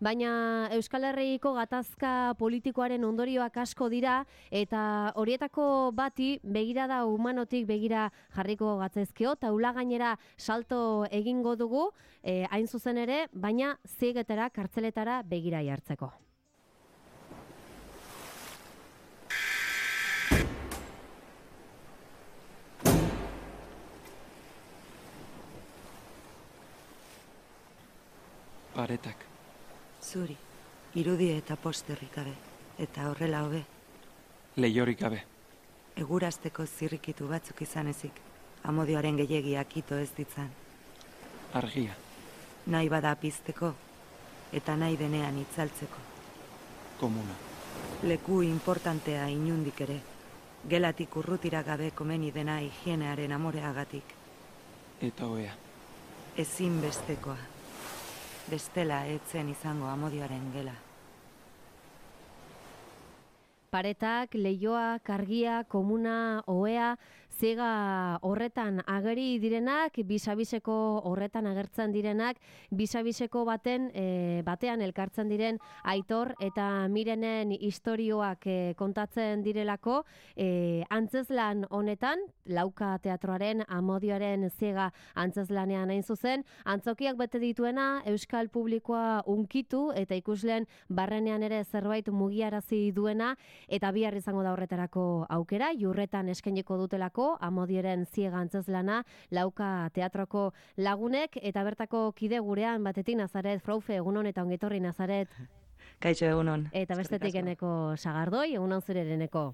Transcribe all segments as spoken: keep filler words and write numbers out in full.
Baina Euskal Herriko gatazka politikoaren ondorioak asko dira eta horietako bati begirada humanotik begira jarriko gatzezkio, taula gainera salto egingo dugu, eh, hain zuzen ere, baina ziegetara, kartzeletara begira jartzeko. Paretak. Zuri, irudi eta posterrik gabe, eta horrela hobe. Leiorik gabe. Egurazteko zirrikitu batzuk izan ezik, amodioaren gehiagiak ito ez ditzan. Argia. Nahi bada pizteko, eta nahi denean itzaltzeko. Komuna. Leku importantea inundik ere, gelatik urrutira gabe komeni dena higienearen amoreagatik. Eta oea. Ezin bestekoa. Bestela etzen izango amodioaren gela. Paretak, leioak, argia, komuna, ohea, ziega horretan ageri direnak, bisabiseko horretan agertzen direnak, bisabiseko baten e, batean elkartzen diren Aitor eta Mirenen istorioak e, kontatzen direlako, e, antzezlan honetan, Lauka teatroaren amodioaren ziega antzeslanean hain zuzen, antzokiak bete dituena euskal publikoa unkitu eta ikusleen barrenean ere zerbait mugiarazi duena, eta bihar izango da horretarako aukera, Jurretan eskainiko dutelako amodioaren ziega antzeslana Lauka teatroko lagunek, eta bertako kide gurean batetik Nazaret Fraufe, egunon eta ongetorri Nazaret. Kaixo egunon. Eta bestetik eneko Sagardoi, egunon zurereneko.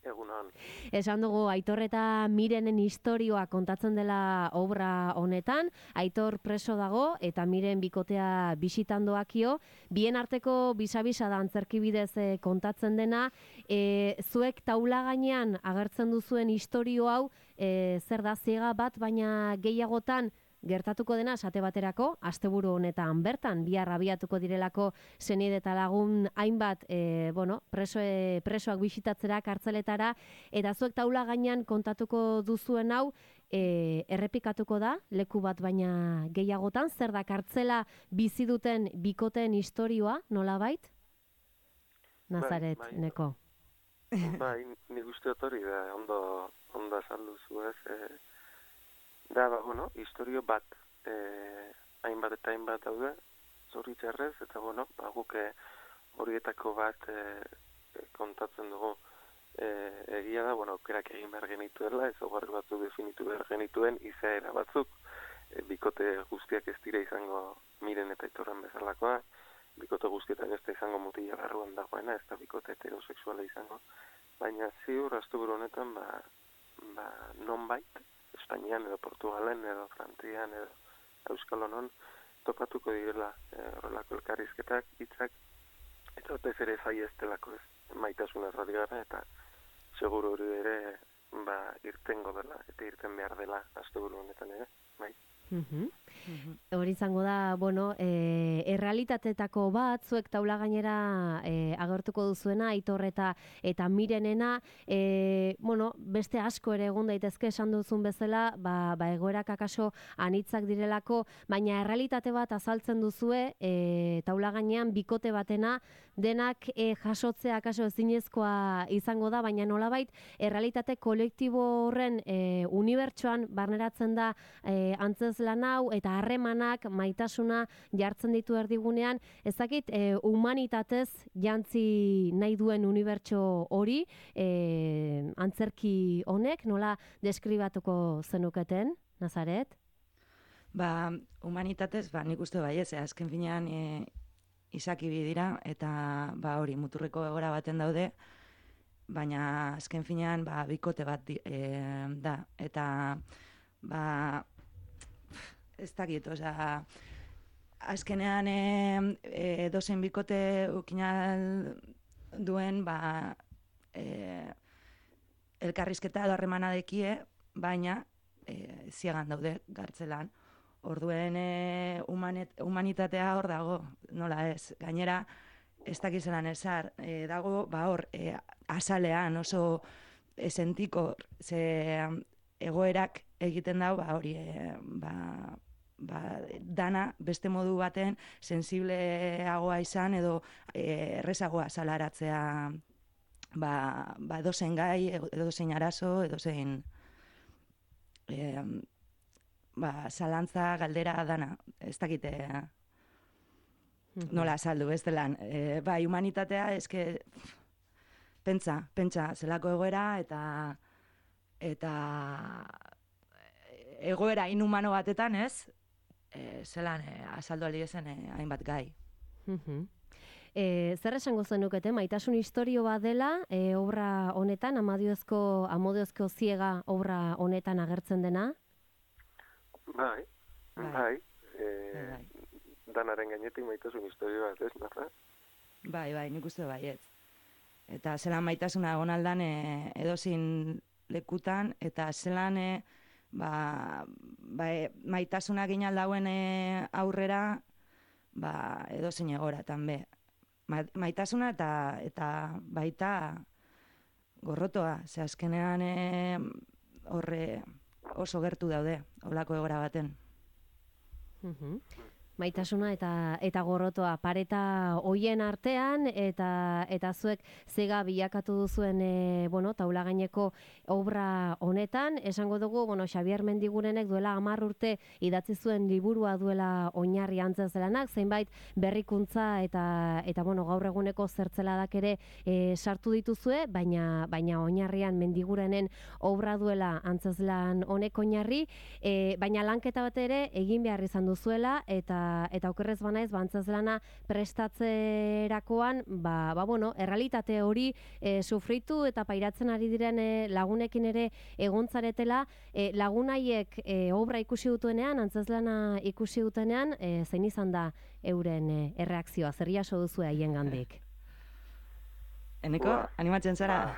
Egunon. Esan dugu Aitor eta Mirenen istorioa kontatzen dela obra honetan, Aitor preso dago eta Miren bikotea bisitan doakio, bien arteko bisa-bisa da antzerkibidez e, kontatzen dena, e, zuek taula gainean agertzen duzuen istorio hau, e, zer da ziega bat, baina gehiagotan gertatuko dena esate baterako, asteburu honetan bertan, bihar abiatuko direlako senide eta lagun hainbat e, bueno, preso, e, presoak bisitatzera kartzeletara, eta zuek taula gainean kontatuko duzuen hau, e, errepikatuko da, leku bat baina gehiagotan, zer da kartzela bizi duten bikoteen istorioa, nolabait? Nazaret, bai, bai. neko. Bai, nik uste hori da, ondo, ondo esan duzu ez, e, da, ba, bueno, historio bat, e, hainbat eta hainbat daude, zoritxarrez, eta, bueno, ba, guk horietako bat e, kontatzen dugu. E, egia da, bueno, aukerak egin behar genituela, ezaugarri batzuk definitu behar genituen, izaera batzuk, e, bikote guztiak ez dira izango Miren eta Aitorren bezalakoa, bikote guztietan ez da izango mutila barruan dagoena, ez da bikote heterosexuala izango, baina ziur, asteburu honetan, ba, ba, nonbait, Espainian edo Portugalen edo Frantzian edo Euskal Honon topatuko direla horrelako e, elkarrizketak, hitzak, eta batez ere zaieztelako ez, maitasunaz ari gara, eta seguru hori ere ba, irtengo dela, eta irten behar dela asteburu honetan ere, bai. Mhm. Hori izango da, bueno, e, errealitateetako bat, zuek taula gainera e, agertuko duzuena, Aitor eta, eta Mirenena, e, bueno, beste asko ere egon daitezke esan duzun bezala, ba, ba egoerak akaso anitzak direlako, baina errealitate bat azaltzen duzue, e, taula gainean bikote batena, denak e, jasotzea akaso ezinezkoa izango da, baina nolabait, errealitate kolektibo horren e, unibertsoan barneratzen da e, antzezlan hau, eta harremanak, maitasuna jartzen ditu erdigunean, ez dakit, e, humanitatez jantzi nahi duen unibertso hori, e, antzerki honek, nola deskribatuko zenuketen, Nazaret? Ba, humanitatez, ba, nik uste bai ez, azken finean e, izaki dira, eta ba, hori, muturreko egora baten daude, baina azken finean ba, bikote bat di, e, da, eta ba, ez dakit, oza, azkenean e, e, dozen bikote ukinal duen, ba, e, elkarrizketa edo harremana dekie, baina e, ziegan daude gartzelan. Orduen e, humanet, humanitatea hor dago, nola ez, gainera, ez dakizelan ezar, e, dago, ba hor, e, azalean oso esentiko, ze egoerak egiten dau, ba hori, e, ba, ba, dana beste modu baten sensibleagoa izan edo e, errezagoa salaratzea ba, ba edozein gai, edozein arazo, edozein e, ba, zalantza, galdera, dana. Ez dakite nola azaldu, ez delan. E, ba, humanitatea, eske, pentsa, pentsa, zelako egoera eta eta egoera inhumano batetan, ez? E, zelan e, azaldu aldi ezen e, hainbat gai. E, zer esango zenukete, maitasun historio bat dela, e, obra honetan, amodiozko, amodiozko ziega obra honetan agertzen dena? Bai, bai, Bai. e, Bai. danaren gainetik maitasun historio bat, ez, narra? Bai, bai, nik uste baietz. Eta zelan maitasuna egon aldan e, edozin lekutan, eta zelan e, ba, ba, e, maitasuna ginaldauen e, aurrera ba, edozin egoratan be. Ma, maitasuna eta, eta baita gorrotoa, ze azkenean e, horre oso gertu daude, holako egora baten. Maitasuna eta eta gorrotoa pareta hoien artean eta eta zuek zega bilakatu duzuen e, bueno, taula gaineko obra honetan, esango dugu, bueno, Xabier Mendigurenek duela hamar urte idatzi zuen liburua duela oinarri antzezlanak, zeinbait berrikuntza eta eta bueno, gaur eguneko zertzeladak ere e, sartu dituzue, baina baina oinarrian Mendigurenen obra duela antzezlan honek oinarri, e, baina lanketa bat ere egin behar izan duzuela eta eta okerrez banaiz bantzazlana prestatzerakoan ba, ba bueno, errealitate hori e, sufritu eta pairatzen ari diren e, lagunekin ere egontzaretela, e, lagunaiek e, obra ikusi dutuenean, antzazlana ikusi dutenean, e, zein izan da euren e, erreakzioa, zer jaso duzu haien gandik? Eneko, Ba, animatzen zara?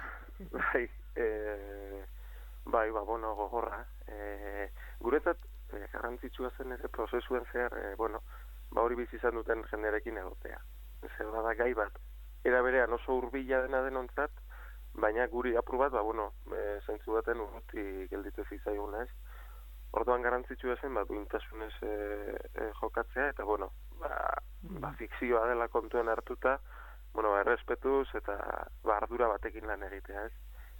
Bai, e, bai, ba, bueno, gogorra. E, guretzat, e, garrantzitsua zen ere prozesuen zehar, e, bueno, ba hori bizi izan duten jendearekin egotea. Zer da gai bat, era berean oso hurbila dena denontzat, baina guri apur bat, ba, bueno, e, zentzu baten urruti gelditu zitzaiguna, ez? Orduan garrantzitsua zen, ba, duintasunez e, e, jokatzea, eta, bueno, ba, ba, fikzioa dela kontuen hartuta, bueno, ba, errespetuz eta ba, ardura batekin lan egitea, ez?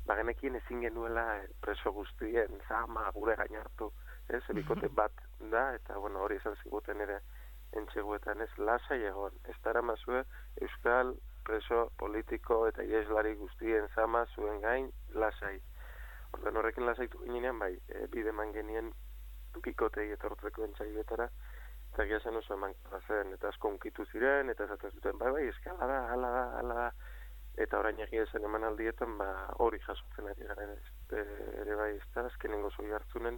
Ba, genekien ezin genuela e, preso guztien zama gure gain hartu, ez? Bikote bat da, eta, bueno, hori esan ziguten ere entxeguetan, ez? Lasai egon, ez dara mazue euskal preso politiko eta ieslari guztien zama zuen gain lasai. Orduan horrekin lasaitu ginean, bai, e, bide man genien bikotei etortzeko entxaietara, eta gira zen oso eman zen, eta asko unkitu ziren, eta esaten zuten, bai, bai, eski ala da, ala da, ala da, eta orain egia zen eman aldietan, ba, hori jasotzen ari garen, ez, e, ere bai, ez da, azkenengo zoi hartzunen,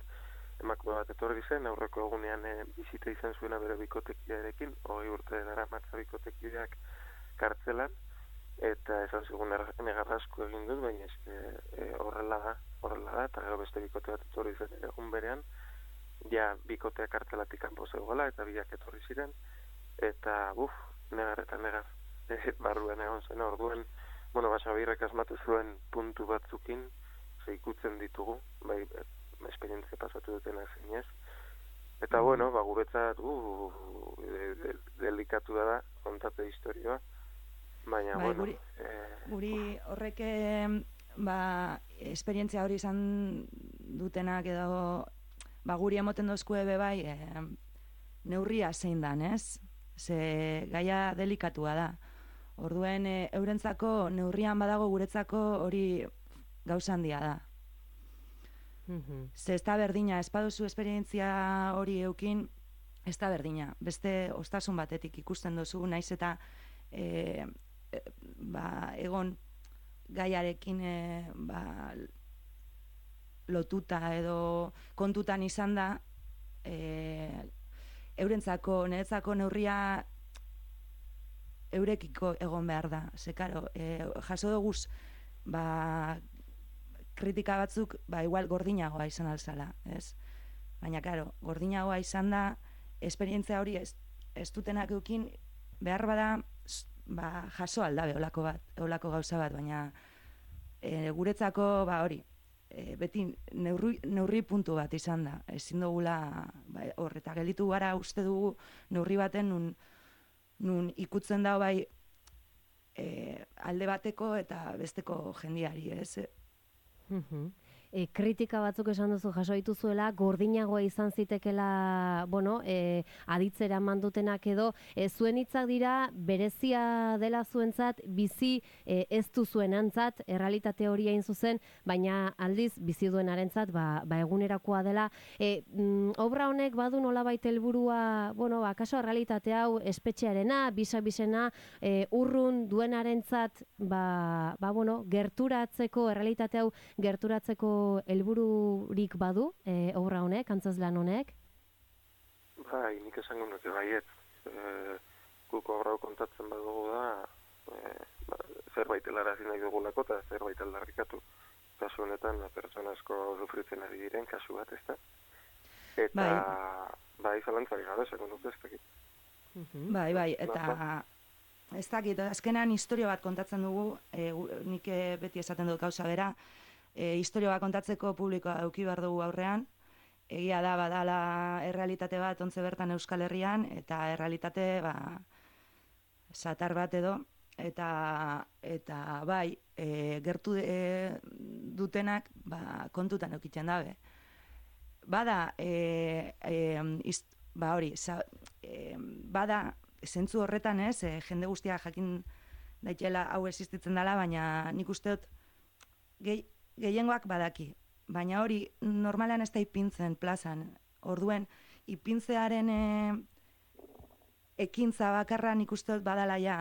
emakume bat etorri zen, aurreko egunean e, bizita izan zuena bere bikotekidearekin, hogei urte dara matza bikotekideak kartzelan, eta esan zigun negarra asko egin dut, baina eske e, horrela da, horrela da, eta gero beste bikote bat etorri zen egun berean, ja bikotea kartzelatik kanpo zegoela, eta biak etorri ziren, eta buf, negar eta negar, e, barruan egon zen, orduan, bueno, Xabierrek asmatu zuen puntu batzukin, ze ikutzen ditugu, bai, esperientzia pasatu dutena zinez, eta bueno, ba, guretzat, uh, de, de, delikatu da, kontate historioa, baina, Bai, bueno... guri, eh, guri horrek ba, esperientzia hori izan dutenak edo ba, guri emoten dozkue be bai e, neurria zein dan, ez? Ze gaia delikatua da. Orduen e, eurentzako neurrian badago guretzako hori gauza handia da. Ze ez da berdina, ez baduzu esperientzia hori eukin, ez da berdina. Beste ostasun batetik ikusten duzu, naiz eta e, e, ba, egon gaiarekin e, ba, lotuta edo kontutan izan da, e, eurentzako, niretzako neurria eurekiko egon behar da. Ze, karo, e, jaso duguz, ba, kritika batzuk, ba, igual gordinagoa izan alzala, ez? Baina, karo, gordinagoa izan da, esperientzia hori ez, ez dutenak eukin, behar bada, ba, jaso aldabe olako bat, olako gauza bat, baina e, guretzako, ba, hori, e, beti neurri, neurri puntu bat izan da. Ezin dugula ba, hor, eta gelditu gara uste dugu neurri baten nun, nun ikutzen da bai e, alde bateko eta besteko jendiari, ez? Mhm. E, kritika batzuk esan duzu jaso dituzuela, gordinagoa izan zitekela, bueno, e, aditzera mandutenak edo, e, zuen hitzak dira berezia dela zuentzat, bizi e, ez du zuenantzat, errealitate hori hain zuzen, baina aldiz bizi duenarentzat, ba, ba egunerakoa dela. E, mm, obra honek badu nolabait helburua, bueno, ba, kaso errealitate hau espetxearena, bisa-bisena, e, urrun duenarentzat, ba, ba, bueno, gerturatzeko, errealitate hau gerturatzeko helbururik badu, e, obra honek, antzezlan honek? Bai, nik esango nuke baiet. E, guk obra hau kontatzen badugu da, e, ba, zerbait helarazi nahi dugulako eta zerbait aldarrikatu. Kasu honetan, pertsona asko sufritzen ari diren kasu bat, ez da? Eta, bai, bai zalantzari gabe, esango nuke ez dakit. Bai, bai, eta ez dakit, azkenean historia bat kontatzen dugu, e, nik beti esaten dut gauza bera, E, historia bat kontatzeko publikoa eduki behar dugu aurrean, egia da badala errealitate bat ontze bertan Euskal Herrian, eta errealitate ba, satar bat edo, eta, eta bai, e, gertu e, dutenak ba, kontutan eukitzen dabe. Bada, e, e, ist, ba hori, sa, e, bada, zentzu horretan ez, e, jende guztia jakin daitela hau existitzen dela, baina nik uste dut gehi, gehiengoak badaki, baina hori normalean ez da ipintzen plazan. Orduen, ipintzearen e, ekintza bakarra nik uste dut badala ja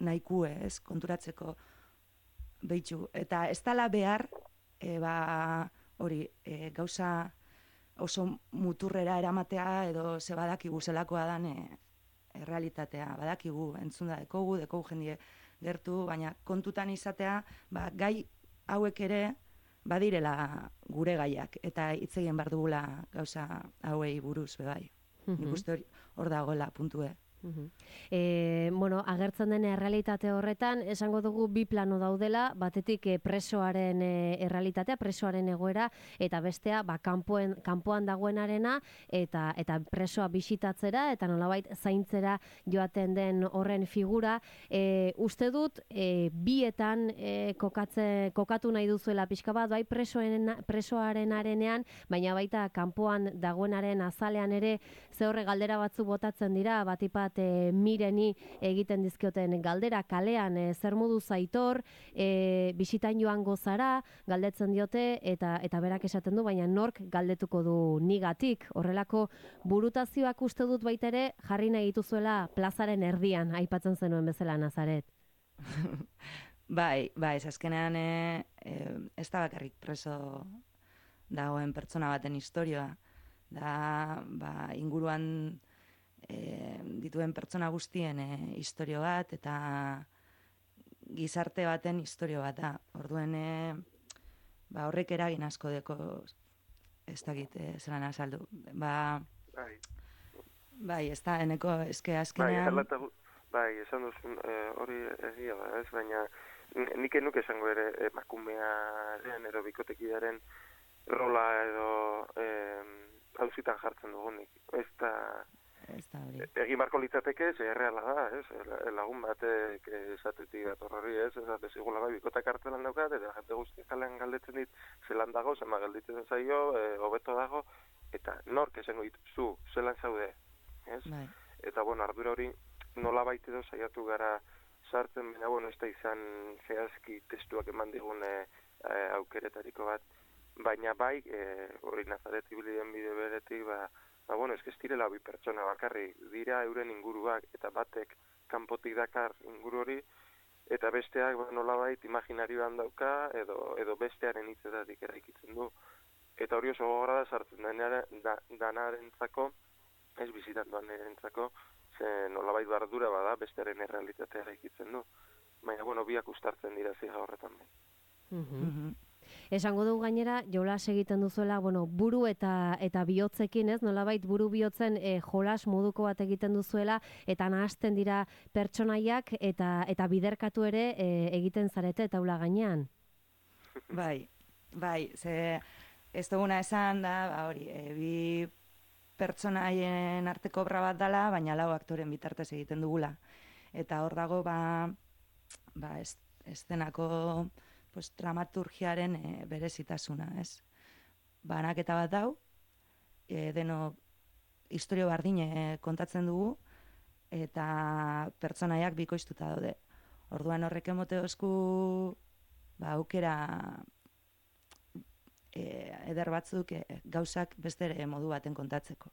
nahikue, ez, konturatzeko behitxu. Eta ez dala behar, e, ba, hori, e, gauza oso muturrera eramatea edo ze badakigu zelakoa dan e, errealitatea, badakigu, entzun da dekogu, dekogu jendie gertu, baina kontutan izatea, ba, gai hauek ere badirela gure gaiak, eta hitz egin behar dugula gauza hauei buruz, bebai. Nik uste hor dagoela puntue. Uh-huh. E, bueno, agertzen den errealitate horretan, esango dugu bi plano daudela, batetik e, presoaren e, errealitatea, presoaren egoera, eta bestea, ba, kanpoen, kanpoan dagoenarena, eta, eta presoa bisitatzera, eta nolabait zaintzera joaten den horren figura. E, uste dut, e, bietan e, kokatze, kokatu nahi duzuela pixka bat, bai presoen, presoaren arenean, baina baita kanpoan dagoenaren azalean ere, ze horre galdera batzu botatzen dira, batipat E, mireni egiten dizkioten galdera kalean, e, zer modu zaitor, e, bisitan joango zara, galdetzen diote, eta eta berak esaten du, baina nork galdetuko du nigatik. Horrelako burutazioak uste dut baita ere jarri nahi dituzuela plazaren erdian, aipatzen zenuen bezala Nazaret. Bai, bai, ez azkenean e, e, ez da bakarrik preso dagoen pertsona baten historioa. Da, ba, inguruan E, dituen pertsona guztien e, historio bat eta gizarte baten historio bat da. Orduen e, ba, horrek eragin asko deko ez dakit e, zelan azaldu. Ba, bai, bai, ez da, eneko eske azkenean... Bai, halata, bai, esan duzun e, hori egia da, ez, baina nik enuk esango ere emakumearen edo bikotekidearen rola edo e, hauzitan jartzen dugunik. Ez da... Egin barko litzateke, ze erreala da, ez? Lagun batek esatetik dator hori, ez? Ez ezigula bai, bikotak kartelan daukat, eta jente guztiak kalean galdetzen dit, zelan dago, zema galditzen zaio, hobeto dago, eta nork esango dit, zu, zelan zaude, ez? Bai. Eta, bueno, ardura hori nola baita edo saiatu gara sartzen, baina, bueno, ez da izan zehazki testuak eman digun e, e, aukeretariko bat, baina bai, hori e, Nazaret ibiliden bide beretik, ba, Ba, bueno, ez direla bi pertsona bakarri, dira euren inguruak, eta batek kanpotik dakar inguru hori, eta besteak ba, nolabait imaginarioan dauka, edo, edo bestearen hitzetatik eraikitzen du. Eta hori oso gogorra da sartzen da, danarentzako, ez bizitan duanerentzako, ze nolabait bardura bada bestearen errealitatea eraikitzen du. Baina, bueno, biak ustartzen dira ziga horretan bai. Mhm. Mhm. Esango dugu gainera, jolas egiten duzuela, bueno, buru eta eta bihotzekin, ez? Nolabait buru bihotzen e, jolas moduko bat egiten duzuela eta nahasten dira pertsonaiak eta eta biderkatu ere e, egiten zarete taula gainean. Bai. Bai, ze ez duguna esan da, ba, hori, e, bi pertsonaien arteko obra bat dala, baina lau aktoren bitartez egiten dugula. Eta hor dago, ba, ba ez, eszenako pues, dramaturgiaren e, berezitasuna, ez? Banaketa bat dau, e, deno historio bardine kontatzen dugu, eta pertsonaiak bikoiztuta daude. Orduan horrek emote osku ba, aukera e, eder batzuk e, gauzak beste ere modu baten kontatzeko.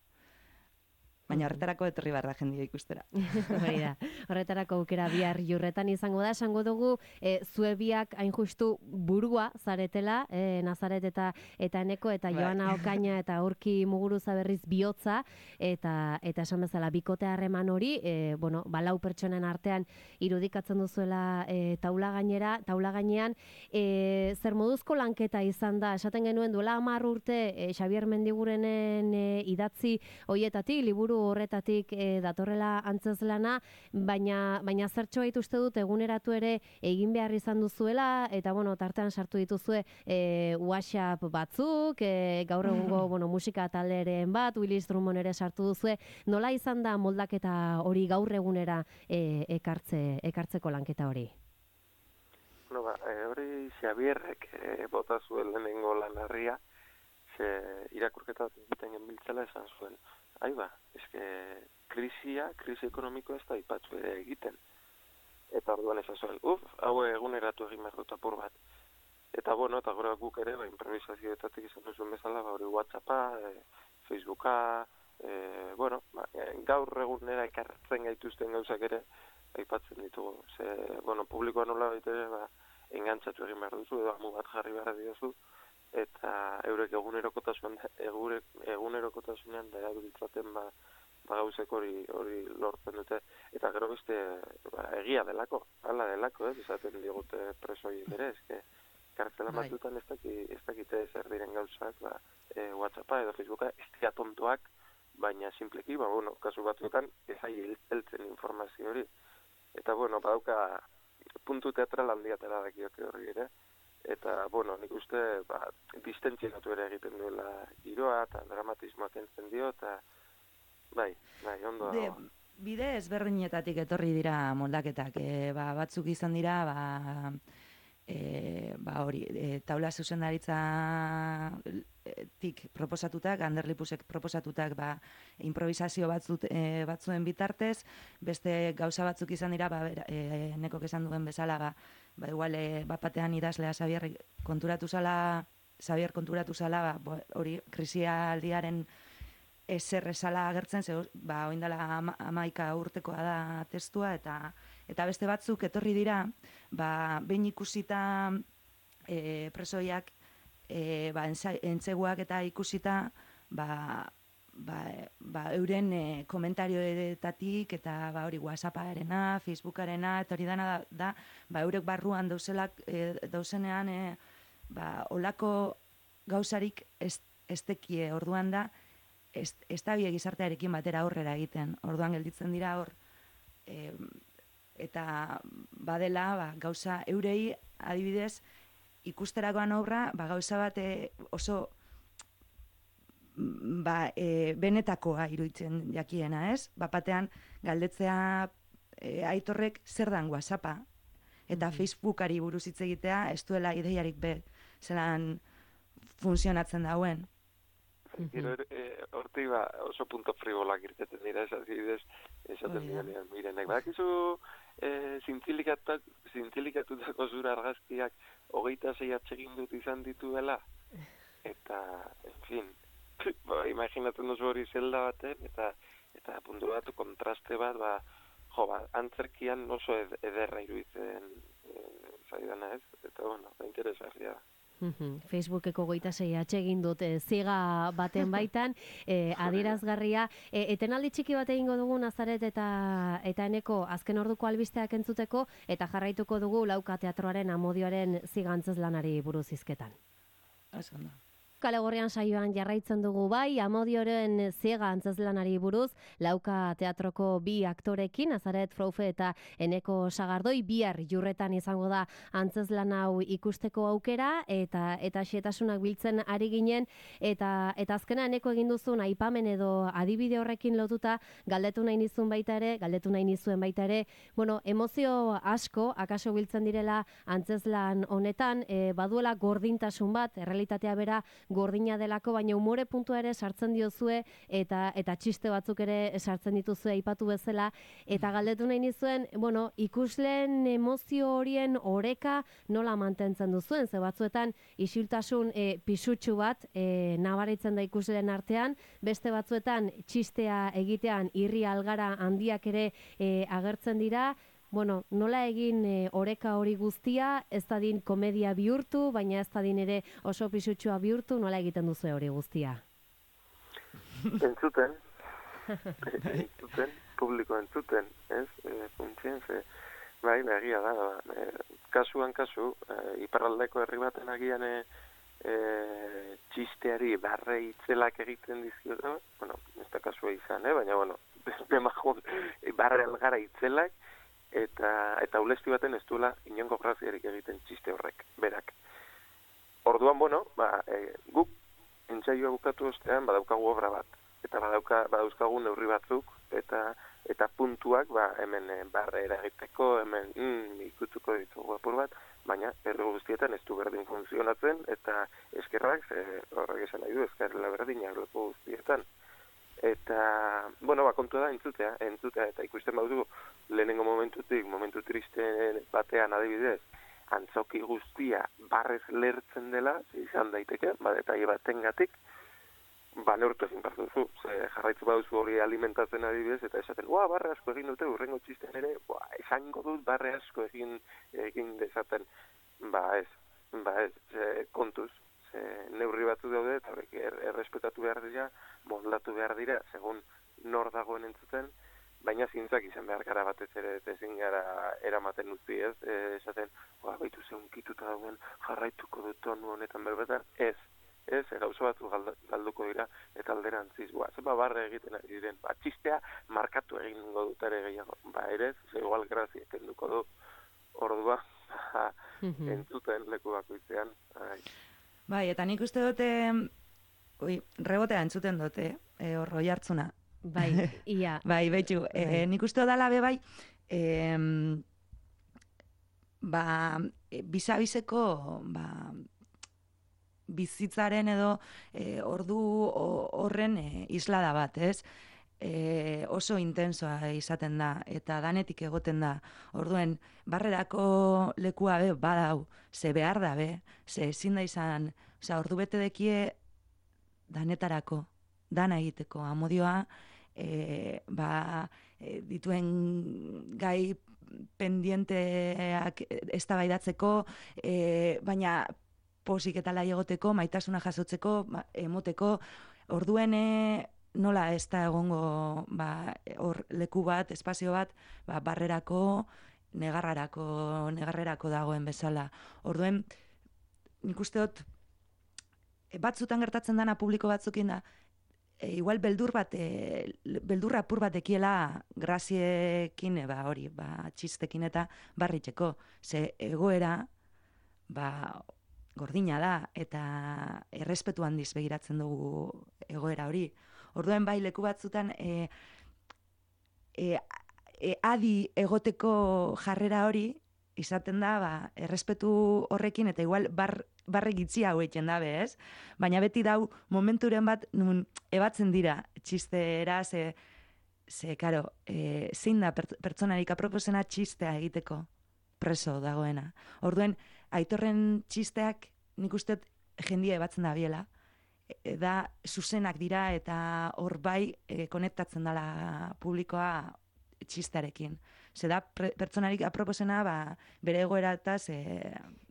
Baina horretarako etorri barra jendia ikustera. Hori da. Horretarako aukera bihar Jurretan izango da, esango dugu e, zue biak hain justu burua zaretela, e, Nazaret eta eta Eneko eta Bai. Joana Okaina eta Aurki Muguruza berriz bihotza eta eta esan bezala bikote harreman hori, e, bueno, ba lau pertsonen artean irudikatzen duzuela e, taula gainera, taula gainean, e, zer moduzko lanketa izan da, esaten genuen duela hamar urte e, Xabier Mendigurenen e, idatzi hoietatik, liburu horretatik e, datorrela antzezlana, baina baina zertxo bait uste dut eguneratu ere egin behar izan duzuela, eta bueno, tartean sartu dituzue e, WhatsApp batzuk, e, gaur egungo bueno, musika talderen bat, Willis Drummond ere sartu duzue. Nola izan da moldaketa hori gaur egunera e, ekartze, ekartzeko lanketa hori? No, ba, e, hori Xabierrek e, bota zuen lehenengo lanarria, ze irakurketa egiten genbiltzela esan zuen. Ai ba, eske krisia, krisi ekonomiko ez da ipatzu ere egiten. Eta orduan esan zuen, uf, hau eguneratu egin behar dut apur bat. Eta bueno, eta gora guk ere, ba, improvisazioetatik izan duzuen bezala, ba, hori WhatsAppa, e, Facebooka, e, bueno, ba, gaur egunera ekartzen gaituzten gauzak ere, aipatzen ditugu. Ze, bueno, publikoa nola baitere, ba, engantzatu egin behar duzu, edo amu bat jarri behar diozu, eta eurek egunerokotasunean egurek egunerokotasunean da erabiltzaten ba, ba gauzek hori hori lortzen dute, eta gero beste ba, egia delako, hala delako, ez esaten digute presoi ere, eske kartzela batzutan ez daki ez dakite zer diren gauzak, ba e, WhatsAppa edo Facebooka ez dira tontoak, baina simpleki, ba bueno, kasu batzuetan ez ai heltzen informazio hori. Eta bueno, badauka puntu teatral handia atera dakioke horri ere. Eta, bueno, nik uste, ba, distentziatu ere egiten duela giroa, eta dramatismoa kentzen dio, eta, bai, bai, ondo De, dago. bide ezberdinetatik etorri dira moldaketak, e, ba, batzuk izan dira, ba, e, ba hori, e, taula zuzendaritza tik proposatutak, Anderlipusek proposatutak, ba, improvisazio batzut, e, batzuen bitartez, beste gauza batzuk izan dira, ba, e, nekok esan duen bezala, ba, ba igual, e, bat batean idazlea Xabier konturatu zala, Xabier konturatu zala, ba, hori, krisialdiaren ezer esala agertzen, ze, ba, oindala amaika urtekoa da testua, eta eta beste batzuk etorri dira, ba, behin ikusita e, presoiak, e, ba, entzeguak eta ikusita, ba, ba, ba, euren e, komentarioetatik, eta ba, hori WhatsApparena, Facebookarena, eta hori dana da, da ba, eurek barruan dauzelak, e, dauzenean, e, ba, olako gauzarik ez, ez tekie, orduan da, ez, ez da bie gizartearekin batera aurrera egiten. Orduan gelditzen dira hor, e, eta badela ba, gauza eurei adibidez ikusterakoan obra ba, gauza bat e, oso ba, e, benetakoa iruditzen jakiena, ez? Bapatean galdetzea e, Aitorrek zer dan WhatsAppa eta mm-hmm. Facebookari buruz hitz egitea ez duela ideiarik be zelan funtzionatzen dauen. Gero, hortik ba, oso punto frivolak irteten dira, ez adibidez, esaten dira, mirenek, badakizu e, zintzilikatutako zura argazkiak hogeita sei atsegin dut izan dituela, eta, en fin, ba, imaginatzen duzu hori zelda baten, eta eta puntu bat, kontraste bat, ba, jo, ba, antzerkian oso ed ederra iruditzen e, zaidana ez, eta, bueno, ba, interesgarria da. Facebookeko goita sei atsegin dut e, ziga baten baitan, e, adierazgarria. E, etenaldi txiki bat egingo dugu Nazaret eta eta Eneko azken orduko albisteak entzuteko, eta jarraituko dugu Lauka Teatroaren Amodioaren ziga antzezlanari buruz hizketan. Oso ondo. Kale Gorrian saioan jarraitzen dugu bai, Amodioren ziega antzezlanari buruz, Lauka teatroko bi aktorekin, Azaret Froufe eta Eneko Sagardoi, bihar Jurretan izango da antzezlan hau ikusteko aukera, eta eta xetasunak biltzen ari ginen, eta eta azkena Eneko egin duzun aipamen edo adibide horrekin lotuta, galdetu nahi nizun baita ere, galdetu nahi nizuen baita ere, bueno, emozio asko, akaso biltzen direla antzezlan honetan, e, baduela gordintasun bat, errealitatea bera gordina delako, baina umore puntua ere sartzen diozue, eta eta txiste batzuk ere sartzen dituzue aipatu bezala, eta galdetu nahi nizuen, bueno, ikusleen emozio horien oreka nola mantentzen duzuen, ze batzuetan isiltasun e, pisutsu bat e, nabaritzen da ikusleen artean, beste batzuetan txistea egitean irri algara handiak ere e, agertzen dira. Bueno, nola egin e, oreka hori guztia, ez dadin komedia bihurtu, baina ez dadin ere oso pisutsua bihurtu, nola egiten duzu hori guztia? Entzuten, entzuten, publiko entzuten, ez? E, funtzien, ze, bai, egia da, e, kasuan kasu, e, iparraldeko herri baten agian e, e, txisteari barre itzelak egiten dizkiote, bueno, ez da kasua izan, eh? Baina, bueno, bemajun, barre algara itzelak, eta eta ulesti baten ez duela inongo graziarik egiten txiste horrek, berak. Orduan, bueno, ba, e, guk entsaioa bukatu ostean badaukagu obra bat, eta badauka, badauzkagu neurri batzuk, eta eta puntuak, ba, hemen e, barre eragiteko, hemen mm, ikutuko ditugu apur bat, baina herri guztietan ez du berdin funtzionatzen, eta eskerrak, e, horrek esan nahi du, eskerrela berdinak lepo guztietan. Eta, bueno, ba, kontua da entzutea, entzutea, eta ikusten baudu lehenengo momentutik, momentu triste batean adibidez, antzoki guztia barrez lertzen dela, izan daiteke, ba, detaile batengatik, ba, neurtu ezin partuzu, ze jarraitzu baduzu hori alimentatzen adibidez, eta esaten, ua, barre asko egin dute, urrengo txisten ere, ba, esango dut barre asko egin, egin dezaten, ba, ez, ba, ez, ze, kontuz, ze, neurri batzu daude, eta horrek er, errespetatu behar dira, moldatu behar dira, segun nor dagoen entzuten, baina zintzak izan behar gara batez ere, ezin gara eramaten utzi, ez, e, esaten, oa, baitu ze unkituta dagoen, jarraituko dut tonu honetan berbetan, ez, ez, gauza batzu galduko dira, eta alderantziz, ba, zeba barre egiten ari diren, ba, txistea markatu egingo dut ere gehiago, ba, ere, ze igual grazia kenduko du, ordua, ba, entzuten leku bakoitzean, ai. Bai, eta nik uste dute, ui, rebotea entzuten dute, e, horro jartzuna. Bai, ia. Bai, betxu, e, nik uste dala be bai, e, ba, e, bizabizeko, ba, bizitzaren edo e, ordu horren e, islada bat, ez? E, oso intensoa izaten da, eta danetik egoten da. Orduen, barrerako lekua be, badau, ze behar da be, ze ezin da izan, oza, ordu bete dekie danetarako, dana egiteko, amodioa, e, ba, e, dituen gai pendienteak eztabaidatzeko, e, baina posik eta lai egoteko, maitasuna jasotzeko, emoteko, orduen nola ez da egongo ba, or, leku bat, espazio bat, ba, barrerako, negarrarako, negarrerako dagoen bezala. Orduen, nik uste dut, batzutan gertatzen dana publiko batzukin da, e, igual beldur bat, e, beldurra apur bat ekiela graziekin, e, ba, hori, ba, txistekin eta barritxeko. Ze egoera, ba, gordina da, eta errespetu handiz begiratzen dugu egoera hori. Orduen bai leku batzutan e, e, e, adi egoteko jarrera hori izaten da, ba, errespetu horrekin, eta igual bar, barre gitzi hau egiten dabe, ez? Baina beti dau momenturen bat nun ebatzen dira txistera, ze, ze karo, e, zein da pertsonarik aproposena txistea egiteko preso dagoena. Orduen, Aitorren txisteak nik uste jendia ebatzen da biela, e, da zuzenak dira eta hor bai e, konektatzen dela publikoa txistearekin. Ze da pertsonarik aproposena ba, bere egoerataz e,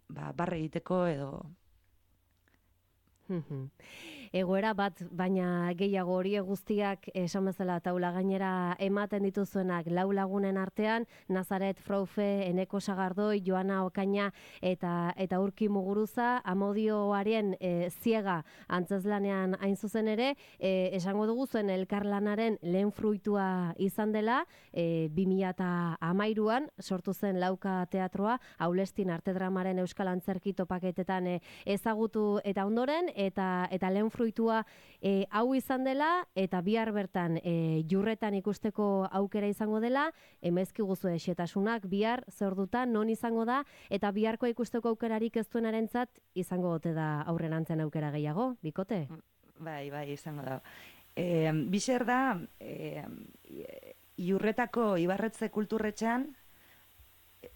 ba, barre egiteko edo... egoera bat, baina gehiago horiek guztiak esan bezala taula gainera ematen dituzuenak lau lagunen artean, Nazaret Fraufe, Eneko Sagardoi, Joana Okaina eta eta Urki Muguruza, Amodioaren e, ziega antzezlanean hain zuzen ere, e, esango dugu zuen elkarlanaren lehen fruitua izan dela, e, bi mila hamairuan sortu zen Lauka Teatroa, Aulestin Artedramaren Euskal Antzerki topaketetan e, ezagutu eta ondoren, eta eta lehen fruitua e, hau izan dela, eta bihar bertan e, Jurretan ikusteko aukera izango dela, emezki guzu esetasunak bihar zordutan non izango da, eta biharko ikusteko aukerarik ez duenarentzat izango gote da aurren antzen aukera gehiago, bikote? Bai, bai, izango da. E, Bixer da, e, Jurretako Ibarretze kulturretxean,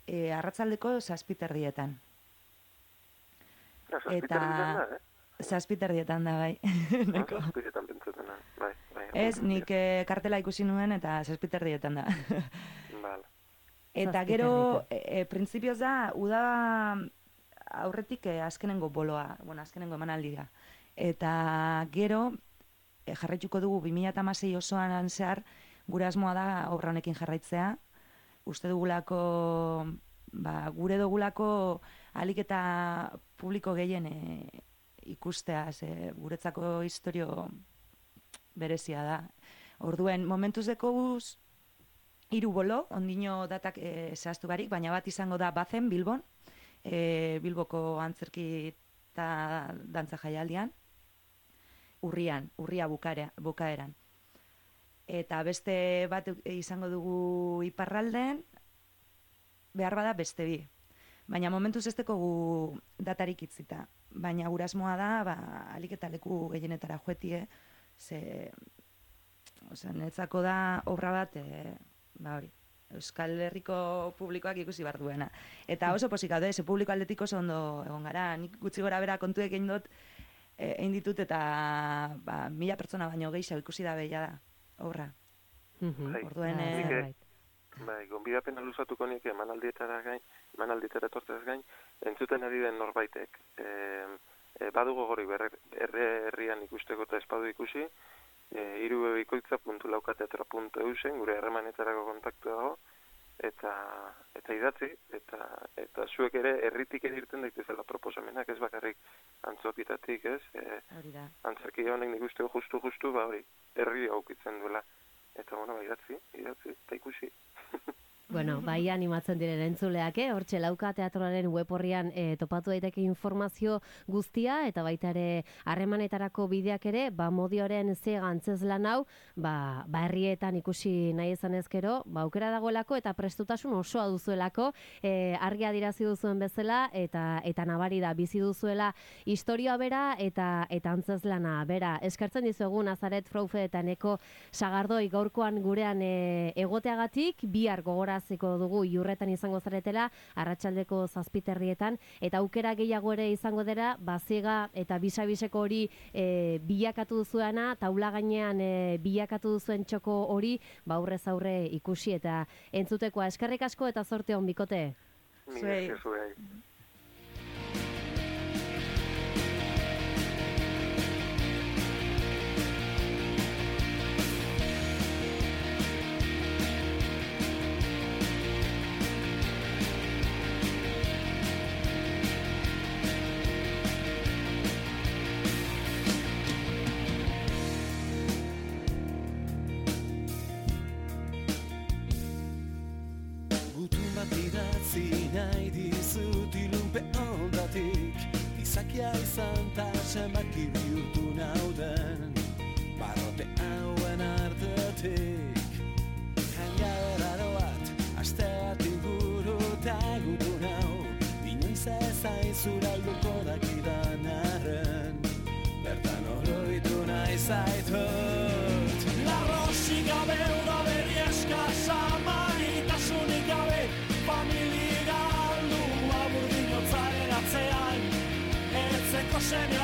e, arratsaldeko zazpiterdietan. Zazpiterdietan da, eh? Zazpiterdietan da, bai. Zazpiterdietan pentsatena, bai. bai Ez, nik e, kartela ikusi nuen eta zazpiterdietan da. Vale. Eta gero, e, e, printzipioz da, uda aurretik e, azkenengo boloa, bueno, azkenengo emanaldia. Eta gero, e, jarraituko dugu bi mila hamasei osoan zehar, gure asmoa da obra honekin jarraitzea. Uste dugulako, ba, gure dugulako alik eta publiko gehien e, ikustea, ze guretzako historio berezia da. Orduen, momentuz deko guz, hiru bolo, ondino datak e, zehaztu barik, baina bat izango da Bazen, Bilbon, e, Bilboko antzerki eta dantza jaialdian, urrian, urria bukaera, bukaeran. Eta beste bat izango dugu Iparralden, behar bada beste bi. Baina momentuz ez dekogu datarik itzita. Baina gurasmoa da, ba, alik eta leku gehienetara joetie, ze, osea, netzako da obra bat, e, ba hori, Euskal Herriko publikoak ikusi behar duena. Eta oso posik gaude, ze publiko aldetik oso ondo egon gara, nik gutxi gora bera kontuek egin dut, e, egin ditut eta ba, mila pertsona baino gehiago ikusi da behia da, obra. Bai, Orduen, nik, e, bai, gonbidapena luzatuko nik emanaldietara gain, emanaldietara etortzez gain, entzuten ari den norbaitek. E, e, badugo gori berre herrian ikusteko eta espadu ikusi, e, irubebikoitza puntu laukateatro puntu eu zen, gure harremanetarako kontaktu dago, eta eta idatzi, eta eta zuek ere herritik ere irten daitezela proposamenak, ez bakarrik antzokitatik, ez? E, antzerki honek nik usteko justu-justu, ba hori, herri aukitzen duela. Eta, bueno, ba, idatzi, idatzi, eta ikusi. Bueno, bai animatzen diren entzuleak, eh? Hortxe Lauka Teatroaren web horrian e, topatu daiteke informazio guztia, eta baita ere harremanetarako bideak ere, ba Modioren ziega antzezlan hau, ba, ba herrietan ikusi nahi izan ezkero, ba aukera dagoelako eta prestutasun osoa duzuelako, e, argi adirazi duzuen bezala, eta eta nabari da bizi duzuela historia bera eta eta antzezlana bera. Eskertzen dizuegu Nazaret Fraufe eta Eneko Sagardoi gaurkoan gurean e, egoteagatik, bihar gogora ziko dugu Jurretan izango zaretela, arratsaldeko zazpiterrietan, eta aukera gehiago ere izango dira, baziega eta bisabiseko hori e, bilakatu duzuena, taula gainean e, bilakatu duzuen txoko hori, ba aurrez aurre ikusi eta entzutekoa. Eskerrik asko eta zorte on, bikote. Zuei. Zuei. Nahi dizut ilunpe ondatik, izakia izan ta zenbaki bihurtu nauden, barrote hauen artetik. Hangadera bat, aste bat inguru eta gutu nau, inoiz ezaizura alduko dakidan arren, bertan oroitu nahi zaitut. Larrosi gabe udaberi eskasa, maitasunik gabe, familia galdu aburdinotzaren atzean, etzeko semea